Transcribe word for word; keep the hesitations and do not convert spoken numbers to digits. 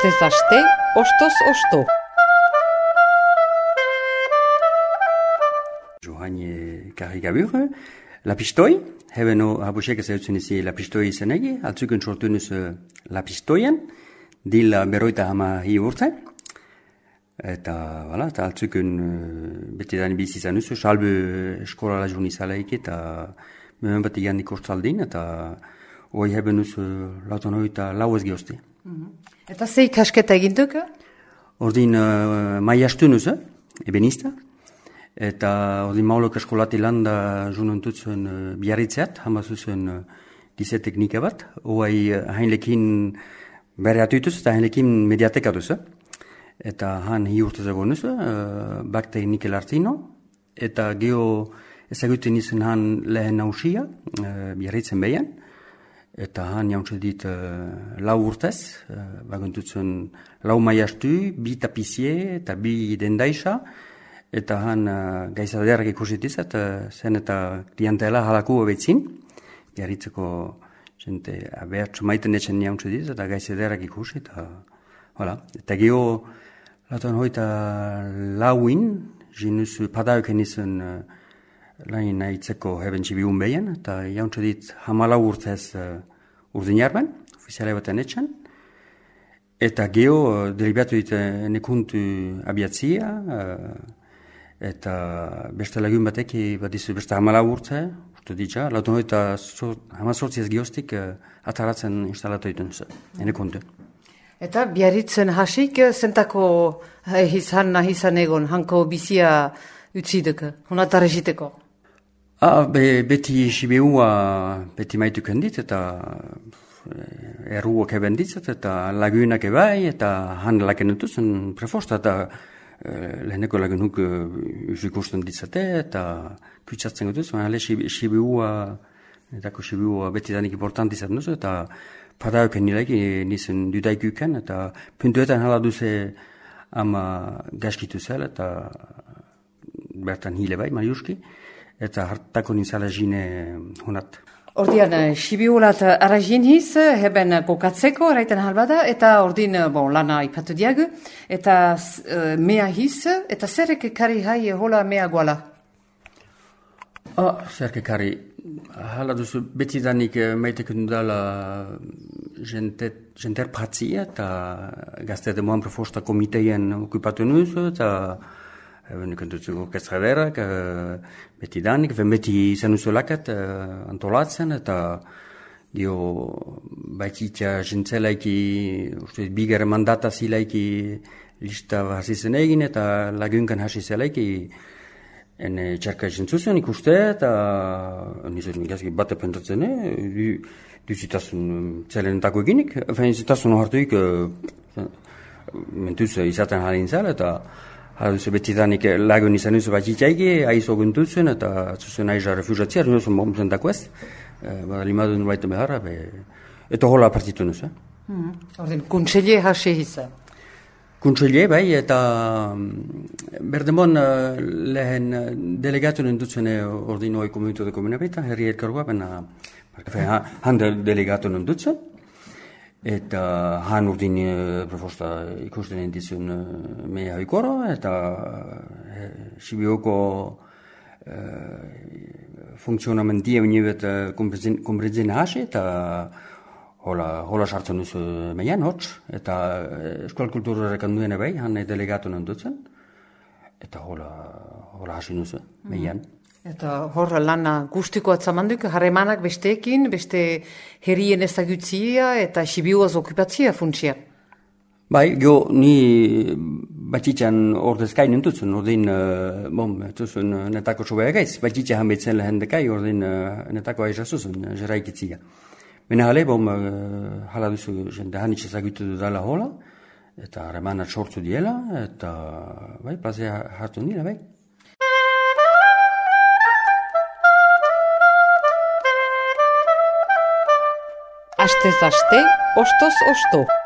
Astez aste, ostoz osto. Johanne Karigabur, lapistoi, hebben no habusek ezagutzen izi lapistoi izenegi, altzuken sortunuz lapistoien, dila beroita hama hi urte, eta, voilà, eta altzuken beti dani bizi izan uzu, salbe eskola lajun izalaik, eta mehen bat igan ikostaldin, eta hoi hebben uzu lautan hoita lau ez gehozti. Eta zei kasketa eginduk? Ordin uh, maiastun uzu, ebenista, eta ordin maulok eskolati landa junontutzen uh, biarritzeat, hamazuzuen uh, gize teknika bat, hoai uh, hainlekin bere atuituz eta hainlekin mediatekatuz. Eta han hi urte zagonuz, uh, bak teknikel artino, eta geho ezaguten izan han lehen nausia, uh, biarritzen behian, eta han jauntze dit uh, lau urtez, uh, bagontutzen lau maiastu, bi tapizie eta bi dendaisa, eta han uh, gaizaderak ikusitiz, eta zen eta klientela halako betzin, biarritzeko jente abertsu maiten etxen jauntze dit, eta gaizaderak ikusi, eta voilà. Eta geho, latuan hoita lauin, jinuz padauken izan uh, lain nahitzeko heben txibiun behin, eta jauntze dit hamalau urtez uh, urdin jarben, ofiziale baten etxan, eta geho uh, deribatu dit uh, nekuntu abiatzia, uh, eta beste lagun batek bat izu beste hamalau urte, urte ditza, latuan hoita hamazortziaz gehoztik uh, ataratzen instalatu ditun nekuntu. Eta biarritzen hasik, zentako izan nahi izan egon, hanko bizia utzidek, honatareziteko? Ah, be, beti sibeua beti maituken dit, eta erruak eben ditzat, eta lagunak ebai, eta han laken entuzen prefosta, eta eh, leheneko lagunuk usikusten ditzate, eta kutsatzen gotuz, ale sibeua, etako sibeua beti danik important izan duzu, eta padauken nilaik nizen dudaikuken, eta puntuetan hala duze ama gaskitu zel, eta bertan hile bai, mariuski, eta hartako nintzala jine honat. Ordian, sibiulat arrazin hiz, heben kokatzeko, eraiten halbada, eta ordin, bon, lana ipatu diagu, eta uh, mea hiz, eta zerrek kari hai hola mea guala? Ah, zerke kari, hala duzu beti danik maiteken dala jenter pratzia, eta gazte demoan prefosta komiteien okupatu nuzu, eta Eben ikentutzen orkestraderak, uh, beti danik, ben beti izan uzolakat uh, antolatzen, eta dio baititza jentzelaiki, uste, bigar mandata zilaiki lista hasi zen egin, eta lagunkan hasi zelaiki ene txarka jentzuzen ikuste, eta nizun gazki bate pentratzen, eh? duzitasun zelenetako eginik, fein zitasun hartuik uh, mentuz izaten halin zela, eta hala duzu beti danik lagun izan duzu bat itxaiki, aizo guntutzen, eta zuzen aiza refusatzea, duzu momenten dako ez, bada limadun baita beharra, be, eta hola partitu nuzu. Hmm. Ordin, kuntselie hase hiza? Kuntselie, bai, eta berdemon lehen delegatu nindutzen ordin hoi komunitu de komunabita, herri elkargoa, bena han delegatu nindutzen, eta han urdin uh, proposta ikusten entizun uh, mea hoikoro, eta uh, sibioko uh, funksionamentia unibet uh, kompretzen hasi, eta hola, hola sartzen duzu meian, hotz, eta uh, eskual kulturarek handuen ebai, han delegatu nindutzen, eta hola, hola hasi duzu meian. Eta hor lana guztiko atzamanduk, harremanak besteekin, beste herrien ezagutzia eta sibiuaz okupatzia funtsia. Bai, geho, ni batxitxan ordezkai nintutzen, ordin, uh, bom, tuzun uh, netako sobea gaiz, batxitxa hanbetzen lehen dekai, ordin uh, netako aizazuzun, uh, jeraikitzia. Bena hale, bom, uh, hala duzu, jende hanitz ezagutu dudala hola, eta harremanat sortu diela, eta, bai, plazea hartu nila, bai. Astez aste, ostoz osto.